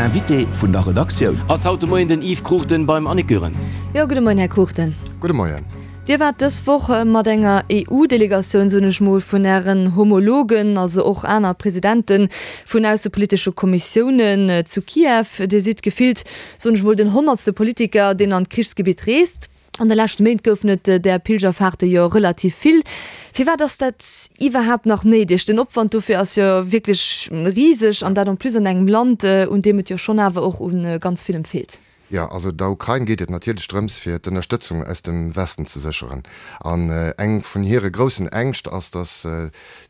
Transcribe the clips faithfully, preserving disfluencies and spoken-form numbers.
Invité vun der Redaktioun. Ass haut de Moien den Yves Cruchten beim Annick Goerens. Jo, gudde Moien, Här Cruchten. Gudde Moien. Dir waart dës Woch mat enger E U-Delegatioun, soen ech mol, vun Ären Homologen, also och aner Presidente vun aussepolitesche Kommissiounen, zu Kiew. Dir sidd gefillt, soen ech mol, den honnertste Politiker, deen an d'Krichsgebitt reest. An de leschte Méint goufen et där Pilgerfahrte jo relativ vill. Firwat ass dat iwwerhaapt nach néideg? Den Opwand dofir ass jo wierklech riseg, an dat en plus an engem Land, un deem et jo schonn awer och u ganz villem feelt. Jo, also der Ukrain geet et natierlech drëms, fir d'Ënnerstëtzung aus dem Westen ze sécheren. An eng vun hire groussen Ängscht ass, datt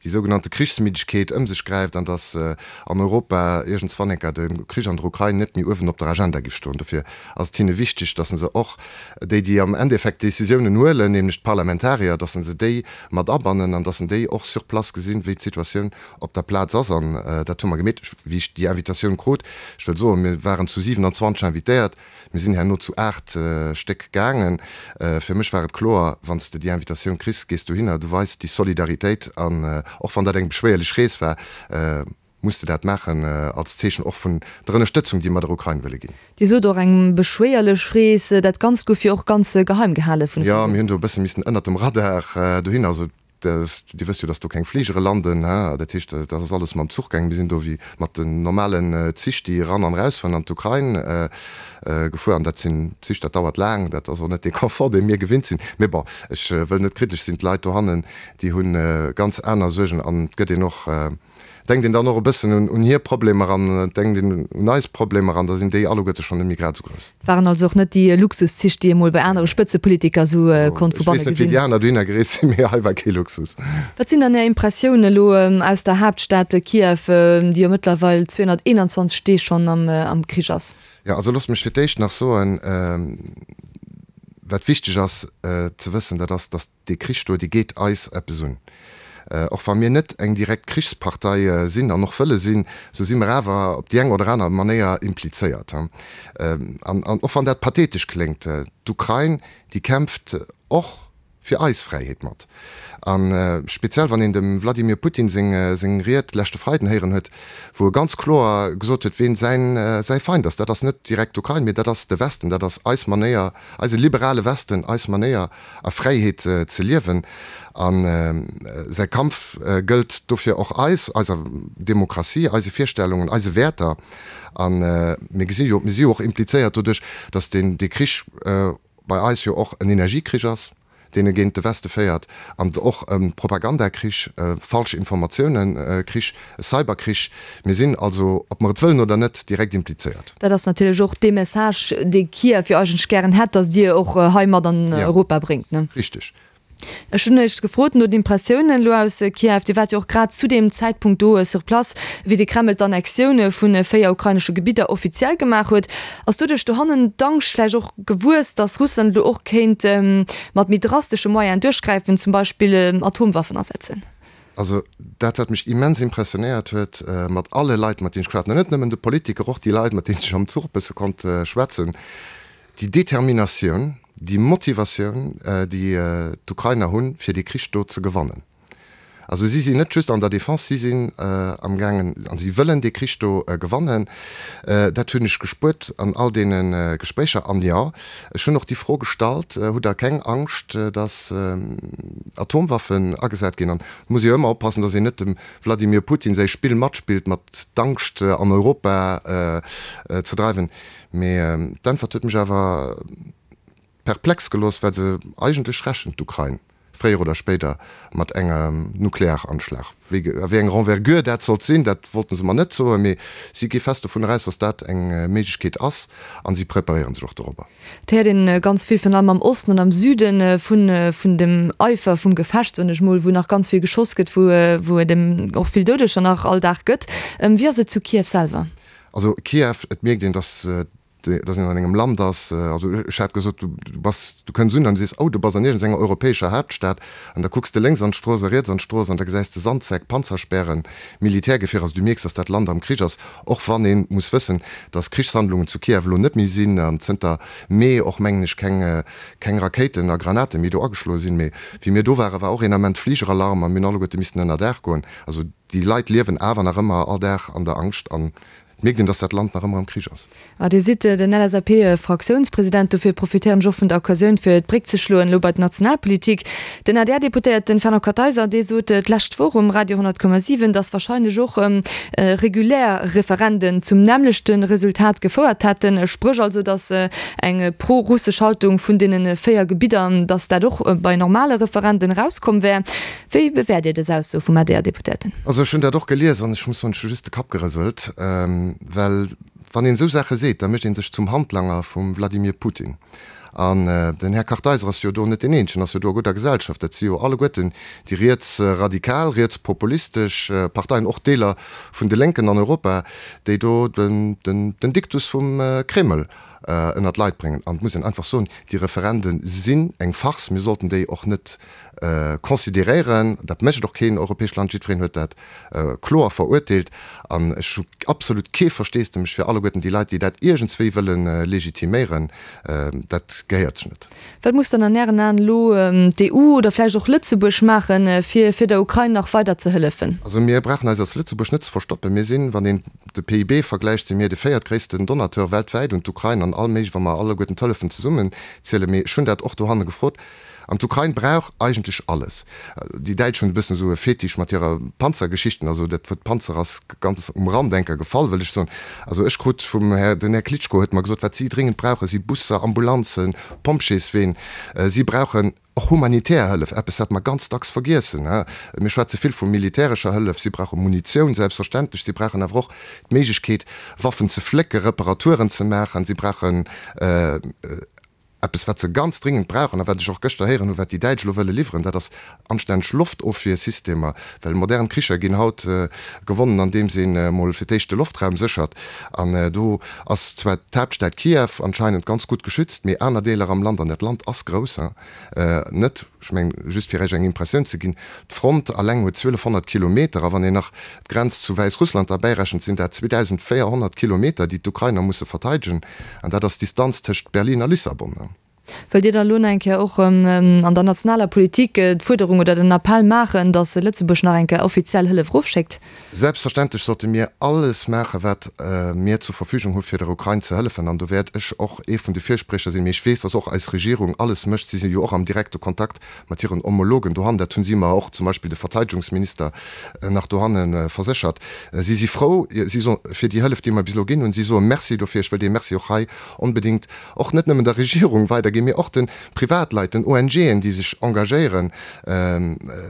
déi sougenannte Krichsmiddegkeet ëm sech gräift an datt an Europa iergendswann enker de Krich an der Ukrain net méi uewen op der Agenda giff stoen. Dofir ass et hinne wichteg, datt se och déi, déi am Endeffekt d'Decisiounen huelen, nämlech d'Parlamentarier, datt se déi mat abannen an datt se déi och sur place gesinn, wéi d'Situatioun op der Plaz ass. An dat hu mer gemeet, wéi ech déi Invitatioun krut. Ech wëll soen, mir waren zu siwenanzwanzeg invitéiert. Mir sinn herno zu aacht Stéck gaangen. Fir mech war et kloer, wann s de déi Invitatioun kriss, gees dohinner, du weis déi Solidaritéit. An och wann dat eng beschwéierlech Rees war, muss de dat maachen als Zeechen och vun der Ënnerstëtzung, déi mer der Ukrain wëlle ginn. Dir sot och eng beschwéierlech Rees. Dat Ganzt gouf jo och ganz geheim gehale vun. Jo, mir hunn do e bësse missen ënnert dem Radar dohin. Also Dir wësst jo, dass do keng Fligere landen. Dat heescht, dat ass alles mam Zuch gaangen. Mir sinn do wéi mat den normalen Zich, déi eran an erausfueren an d'Ukrain, gefuer. An dat sinn Zich, dat dauert laang. Dat ass och net dee Confort, dee mir gewinnt sinn. Mee bon, ech wëll net kritesch sinn. D'Leit dohannen, déi hu ganz aner Suergen. An et gëtt een och, denkt een dann och e bëssen un hir Problemer an et denkt een un eis Problemer an da sinn déi alleguerte schonn net méi grad esou grouss. Et waren also och net déi Luxuszich, déi ee mol bei anere Spëtzepolitiker esou konnt vu Ech banne weess net, wéi gesinn. Déi aner dohinner gereest sinn, mee hei war kee Luxus. Wat sinn dann Är Impressiounen elo aus der Haaptstad Kiew, déi jo mëttlerweil zweehonnerteenanzwanzeg Deeg schonn am Krich ass? Jo, also loosst mech fir d'éischt nach soen, wat wichteg ass ze wëssen, dat ass, datt dee Krich do, dee geet eis eppes un. Och wa mir net eng direkt Krichspartei sinn an och wëlle sinn, esou si mer awer op déi eng oder aner Manéier implizéiert. An och wann dat pathetesch kléngt, d'Ukrain, déi kämpft och fir eis Fräiheet mat. A speziell wann een dem Wladimir Putin seng Ried leschte Freiden héieren huet, wou e ganz kloer gesot huet, ween säi Feind ass, dat ass net direkt d'Ukrain, mee dat ass de Westen, dat ass eis Manéier, eise liberale Westen, eis Manéier a Fräiheet ze liewen. A säi Kampf gëllt dofir och eis, eiser Demokratie, eise Virstellungen, eise Wäerter. A mir gesi jo, mir si jo och implizéiert doduerch, datt deen dee Krich bei eis jo och en Energiekrich ass, deen e géint de Weste féiert, an och e Propagandakrich, e Falsch-Informatiounen-Krich, e Cyberkrich. Mir sinn also, ob mer et wëllen oder net, direkt implizéiert. Dat ass natierlech och dee Message, dee Kiew jo eigentlech gären hätt, datt Dir och hei mat an Europa bréngt, ne? Richteg. Ech hunn Iech gefrot no den Impressiounen elo aus Kiew. Dir waart jo och grad zu deem Zäitpunkt do sur place, wéi de Kreml d'Annexioun vu véier ukrainesche Gebidder offiziell gemaach huet. Ass doduerch dohannen d'Angscht vläicht och gewuess, datt Russland elo och kéint mat méi drastesche Moyenen duerchgräifen, zum Beispill Atomwaffen asetzen? Also dat, wat mech immens impressionéiert huet, mat alle Leit, mat deenen ech geschwat hunn, an net nëmmen de Politiker, och déi Leit, mat deenen ech am Zuch e bësse konnt schwätzen, déi Determinatioun, déi Motivatioun, déi d'Ukrainer hunn, fir dee Krich do ze gewannen. Also si sinn net just an der Defense, si sinn amgaangen a si wëllen dee Krich do gewannen. Dat hunn ech gespuert an all deene Gespréicher. An jo, ech hunn och déi Fro gestallt, Hutt Der keng Angscht, datt Atomwaffen agesat ginn? An et muss ee jo ëmmer oppassen, datt een net dem Wladimir Putin säi Spill matspillt, mat d'Angscht an Europa ze dreiwen. Mee d'Äntwert huet mech awer perplex gelooss, well se eigentlech rechent d'Ukrain fréier oder spéider mat engem Nuklearanschlag. Wéi a wéi eng Renvergure dat sollt sinn, dat wollten se mer net soen, mee si gi fest dovunner aus, datt dat eng Méiglechkeet ass a si preparéiere sech och dorobber. Et héiert een ganz vill, virun allem am Osten an am Süden, vun vun dem Eifer vum Gefecht, soen ech mol, wou nach ganz vill geschoss gëtt, wou wou et och vill Doudeger nach all Dag gëtt. Wéi ass et zu Kiew selwer? Also Kiew, et mierkt een, datt dass een an engem Land ass, also ech hat gesot, du bass, du kënns un an du sees, oh, du bass an iergendsenger europäescher Haaptstad an da kucks de lénks an d'Strooss a riets an d'Strooss an da gesäis de Sandsäck, Panzerspären, Militärgefierer, also du mierks, dass dat Land am Krich ass, och wann ee muss wëssen, dass Krichshandlungen zu Kiew elo net méi sinn an zënter Mee och, mengen ech, keng, keng Rakéiten a Granate méi do ageschloe sinn. Mee wéi mir do waren, war och een Ament Fligeralarm a mir hunn alleguerte missten ënner Daach goen. Also déi Leit liewen awer nach ëmmer all Dag an der Angscht an Et mierkt een, dass dat Land nach ëmmer am Krich ass. A Dir sidd den LSAP-Fraktiounspresident, dofir profitéieren ech och vun der Occasioun, fir d'Bréck ze schloen elo bei d'Nationalpolitik. Den ADR-Deputéierten Fernand Kartheiser, dee sot d'lescht Woch um Radio honnert Komma siwen, datt wahrscheinlech och regulär Referenden zum nämmlechte Resultat gefouert hätten, spréch also, datt eng pro-russesch Haltung vun deene véier Gebidder, datt dat och bei normale Referenden erauskomm wär. Wéi bewäert Dir dës Ausso vum ADR-Deputéierten? Also ech hunn dat och gelies an ech muss soen, ech hu just de Kapp gerëselt, well wann een esou Saache seet, da mécht ee sech zum Handlanger vum Wladimir Putin. An den Här Kartheiser ass jo do net deen eenzegen, ass jo do a gudder Gesellschaft. Dat si jo alleguerten déi rietsradikal, rietspopulistesch Parteien, och Deeler vun de Lénken an Europa, déi do den Diktus vum Kreml ënnert d'Leit bréngen. An et muss een einfach soen, déi Referende sinn eng Farce. Mir sollten déi och net consideréieren. Dat mécht och keen europäescht Land. Jiddwereen huet dat kloer verurteelt. An ech hu absolut kee Versteesdemech fir alleguerten déi Leit, déi dat iergendswéi wëlle legitiméieren. Dat gehéiert sech net. Wat muss dann an Ären Aen elo d'EU oder vläicht och Lëtzebuerg maachen, fir fir der Ukrain nach weider ze hëllefen? Also mir brauchen eis als Lëtzebuerg net ze verstoppen. Mir sinn, wann een de PIB vergläicht, si mir de véiertgréissten Donateur weltwäit un d'Ukrain an all méiglech, wa mer alleguerten d'Hëllefen zesummen zielen. Mee ech hunn dat och dohanne gefrot. An d'Ukrain brauch eigentlech alles. Déi Däitsch hunn e bëssen esou e Fetisch mat hirer Panzergeschichten. Also dat Wuert Panzer ass ganz um Rand enker gefall, wëll ech soen. Also ech krut vum Här, den Här Klitschko huet mer gesot, wat si dringend brauchen, si Busser, Ambulanzen, Pompjeesween. Si brauchen och humanitär Hëllef, eppes wat mer ganz dacks vergiessen. Mir schwätze vill vu militärescher Hëllef. Si brauche Munitioun, selbstverständlech. Si brauchen awer och d'Méiglechkeet, Waffen ze flécken, Reparaturen ze maachen. Si brauchen eppes, wat se ganz dringend brauchen a wat ech och gëschter héieren hunn, wat déi Däitsch elo wëlle liwweren, dat ass anstänneg Loftofwiersystemer, well modern Kricher ginn haut gewonnen, andeems een emol fir d'éischt de Loftraum séchert. An do ass zwar d'Haaptstad Kiew anscheinend ganz gutt geschützt, mee aner Deeler am Land, an dat Land ass grouss, net. Ech mengen, just fir Iech eng Impressioun ze ginn, d'Front alleng huet zwielefhonnert Kilometer, a wann een nach d'Grenz zu Wäissrussland derbäirechent, sinn dat zweedausendvéierhonnert Kilometer, déi d'Ukrainer musse verteidegen. An dat ass d'Distanz tëscht Berlin a Lissabon. Wëllt Dir dann elo nach eng Kéier och an der nationaler Politik d'Fuerderung oder den Appell maachen, datt Lëtzebuerg nach eng Kéier offiziell Hëllef erofschéckt? Selbstverständlech sollte mir alles maachen, wat mir zur Verfügung hu fir der Ukrain ze hëllefen. An do wäert ech och ee vun de Virspriecher sinn. Mee ech weess, datt och eis Regierung alles mécht. Si si jo och am direkte Kontakt mat hiren Homologen dohannen. Dat hunn si mer och, zum Beispill de Verteidegungsminister, nach dohanne verséchert. Si si frou si so fir déi Hëllef, déi mer bis elo ginn hunn. Si soe Merci dofir. Ech wëll dee Merci och hei onbedéngt och net nëmmen der Regierung weiderginn, mee och de Privatleit, den ONGen, déi sech engagéieren.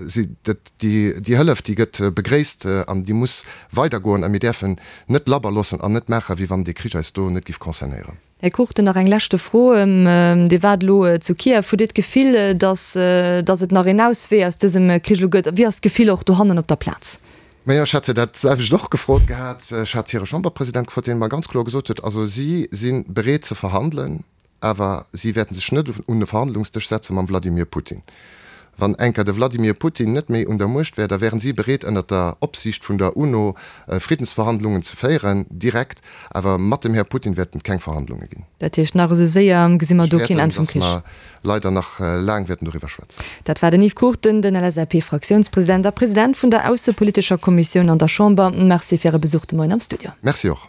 Si, dat, déi, déi Hëllef, déi gëtt begréisst an déi muss weidergoen. A mir däerfen net labber loossen an net maachen, wéi wann dee Krich eis do net géif concernéieren. Här Cruchten, nach eng leschte Fro. Dir waart elo zu Kiew. Hutt Dir d'Gefill, datt, datt et nach een Auswee aus dësem Krich elo gëtt? Wéi ass d'Gefill och dohannen op der Plaz? Majo, ech hat se dat selwecht och gefrot gehat. Ech hat hire Chamberpresident gefrot, deen mer ganz kloer gesot huet, also si si bereet ze verhandelen, awer si wäerten sech net un e Verhandlungsdësch setze mam Wladimir Putin. Wann enker de Wladimir Putin net méi un der Muecht wär, da wären si bereet ënnert der Opsiicht vun der UNO Friddensverhandlungen ze féieren, direkt, awer mat dem Här Putin wäerten et keng Verhandlunge ginn. Dat heescht, nach esou séier gesi mer Ech do keen fäerten, Enn vum datt Krich. mer leider nach laang wäerten doriwwer schwätzen. Dat war den Yves Cruchten, den LSAP-Fraktiounspresident a President vun der aussepolitescher Kommissioun an der Chamber. Merci fir Äre Besuch de Moien am Studio. Merci och.